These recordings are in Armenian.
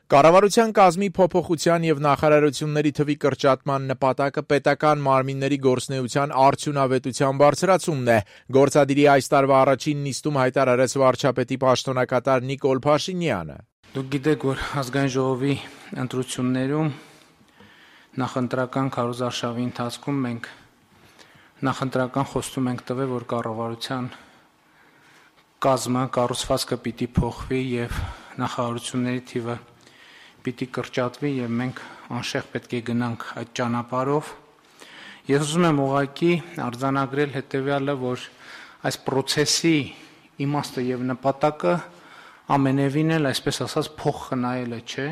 Կառավարության կազմի փոփոխության եւ նախարարությունների թվի կրճատման նպատակը պետական մարմինների գործունեության արդյունավետության բարձրացումն է։ Գործադիրի այս տարվա առաջին նիստում հայտարարեց վարչապետի պաշտոնակատար Նիկոլ Փաշինյանը։ Դուք գիտեք, որ ազգային ժողովի ընտրություններում նախընտրական քարոզարշավի ընթացքում մենք նախընտրական խոստում ենք տվել, որ կառավարության կազմը կառուցվածքը պիտի փոխվի եւ նախարարությունների թիվը պիտի կրճատվի եւ մենք անշեղ պետք է գնանք այդ ճանապարհով։ Ես ուզում եմ ուղղակի արձանագրել հետեւյալը, որ այս process-ի իմաստը եւ նպատակը ամենևին էլ, այսպես ասած, փոխ խնայելը չէ։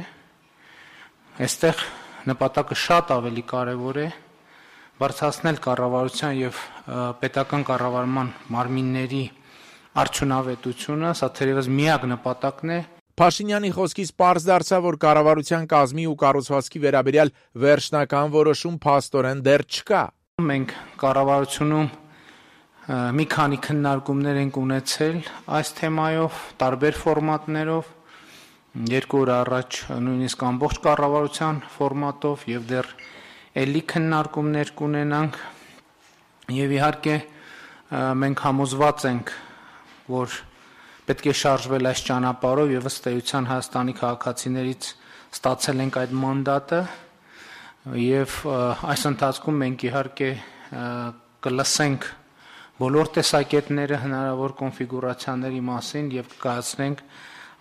Այստեղ նպատակը շատ ավելի կարեւոր է բարձրացնել կառավարության եւ պետական կառավարման մարմինների արդյունավետությունը, սա թերևս միակ նպատակն է։ Փաշինյանի խոսքից պարզ դարձավ, որ կառավարության կազմի ու կառուցվածքի վերաբերյալ վերջնական որոշում փաստորեն դեռ չկա։ Մենք կառավարությունում մի քանի քննարկումներ ենք ունեցել այս թեմայով, տարբեր ֆորմատներով, 2 օր առաջ նույնիսկ ամբողջ կառավարության ֆորմատով եւ դեռ էլի քննարկումներ կունենանք եւ իհարկե մենք համոզված ենք, որ պետք է շարժվել այս ճանապարհով եւ ըստ էության Հայաստանի քաղաքացիներից ստացել ենք այդ մանդատը եւ այս ընթացքում մենք իհարկե կլսենք բոլոր տեսակետները հնարավոր կոնֆիգուրացիաների մասին եւ կկայացնենք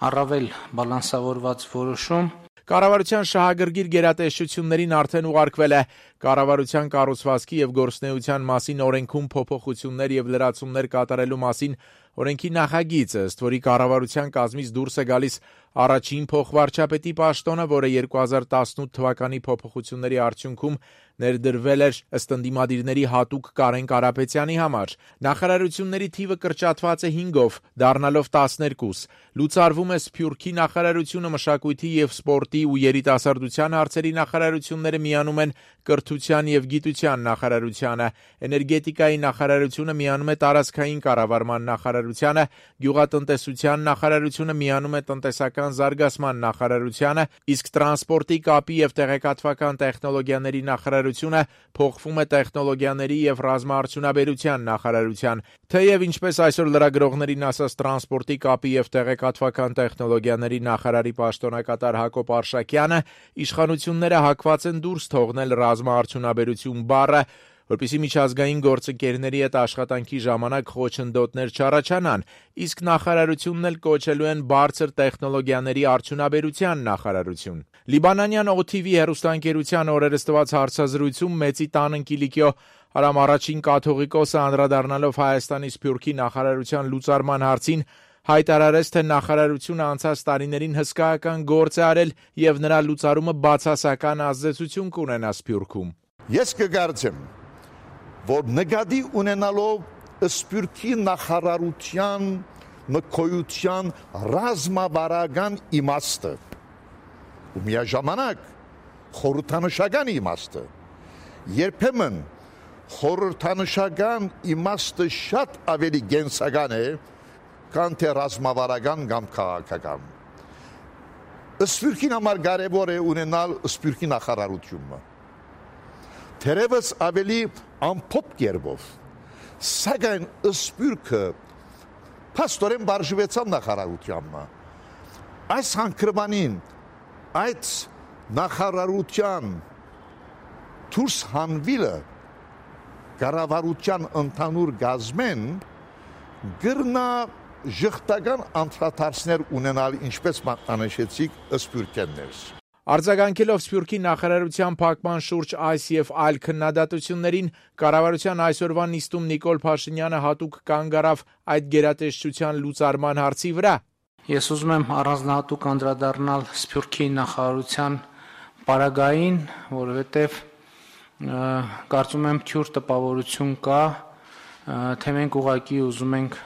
առավել բալանսավորված որոշում։ Կառավարության շահագրգիռ գերատեսչություններին արդեն ուղարկվել է կառավարության կառուցվածքի եւ գործունեության մասին օրենքում փոփոխություններ եւ լրացումներ կատարելու մասին օրենքի նախագիծը, ըստ որի կառավարության կազմից դուրս է գալիս առաջին փոխվարչապետի պաշտոնը, որը 2018 թվականի փոփոխությունների արդյունքում ներդրվել էր ըստ ընդդիմադիրների հատուկ Կարեն Կարապետյանի համար։ Նախարարությունների թիվը կրճատված է 5-ով, դառնալով 12։ Լուծարվում է Սփյուռքի նախարարությունը, մշակույթի եւ սպորտի ու երիտասարդության հարցերի նախարարությունները միանում են կրթության եւ գիտության նախարարությանը, էներգետիկայի նախարարությունը միանում է տարածքային կառավարման նախարարությանը, գյուղատնտեսության նախարարությունը միանում է տնտեսական զարգացման նախարարությանը, իսկ տրանսպորտի, կապի եւ տեղեկատվական տեխնոլոգիաների նախարարությունը փոխվում է տեխնոլոգիաների եւ ռազմաարդյունաբերության նախարարության։ Թեև ինչպես այսօր լրագրողներին ասաց տրանսպորտի, կապի եւ տեղեկատվական տեխնոլոգիաների նախարարի պաշտոնակատար Հակոբ Արշակյանը, իշխանությունները հակված են դուրս թողնել ռազմաարդյունաբերություն բառը, որպեսզի միջազգային գործընկերների հետ աշխատանքի ժամանակ խոչընդոտներ չառաջանան, իսկ նախարարությունն էլ կոչելու են բարձր տեխնոլոգիաների արդյունաբերության նախարարություն։ Լիբանանյան OTV հեռուստաընկերության օրերս տված հարցազրույցում Մեծի տան Կիլիկիո Արամ առաջին կաթողիկոսը անդրադառնալով Հայաստանի Սփյուռքի նախարարության լուծարման հարցին հայտարարեց, թե նախարարությունը անցած տարիներին հսկայական գործ է արել եւ նրա լուծարումը բացասական ազդեցություն կունենա Սփյուռքում։ Ես կգործեմ, որ նկատի ունենալով Սփյուռքի նախարարության մկոյության ռազմավարական իմաստը ու միաժամանակ խորհրդանշական իմաստը, երբեմն խորհրդանշական իմաստը շատ ավելի գենսական է, քան թե ռազմավարական կամ քաղաքական։ Սփյուռքին համար կարևոր է ունենալ Սփյուռքի նախարարությունը։ Թերևս ավելի ամփոփ կերպով, սակայն Սփյուռքը փաստորեն բաժվեցավ նախարարությանը։ Այս հանգրվանին այդ նախարարության դուրս հանվելը կառավարության ընդհանուր գազմեն գրնա ժխտական անդրադարձներ ունենալ, ինչպես մատնանշեցիք Սփյուռքեններս։ Արձագանքելով Սփյուռքի նախարարության փակման շուրջ այս եւ այլ քննադատություններին, կառավարության այսօրվա նիստում Նիկոլ Փաշինյանը հատուկ կանգ առավ այդ գերատեսչության լուծարման հարցի վրա։ Ես ուզում եմ առանձնահատուկ անդրադառնալ Սփյուռքի նախարարության պարագային, որովհետեւ կարծում եմ թյուր տպավորություն կա, թե մենք ուղղակի ուզում ենք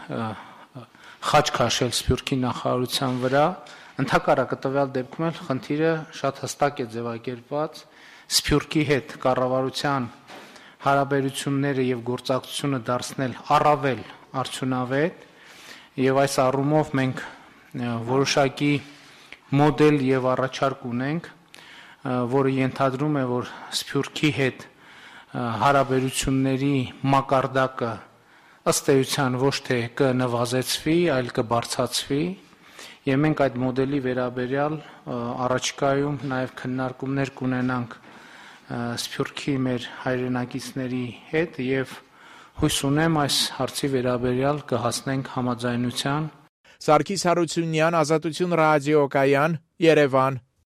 խաչ քաշել Սփյուռքի նախարարության վրա։ Ընդհակառակը տվյալ դեպքում էլ խնդիրը շատ հստակ է ձևակերպված Սփյուռքի հետ կառավարության հարաբերությունները եւ գործակցությունը դարձնել առավել արդյունավետ եւ այս առումով մենք որոշակի մոդել եւ առաջարկ ունենք, որը ենթադրում է, որ Սփյուռքի հետ հարաբերությունների մակարդակը ըստ էության ոչ թե կնվազեցվի, այլ կբարձրացվի, եւ մենք այդ մոդելի վերաբերյալ առաջիկայում նաեւ քննարկումներ կունենանք Սփյուռքի մեր հայրենակիցների հետ եւ հույս ունեմ այս հարցի վերաբերյալ կհասնենք համաձայնության։ Սարգիս Հարությունյան, Ազատություն ռադիոկայան, Երևան։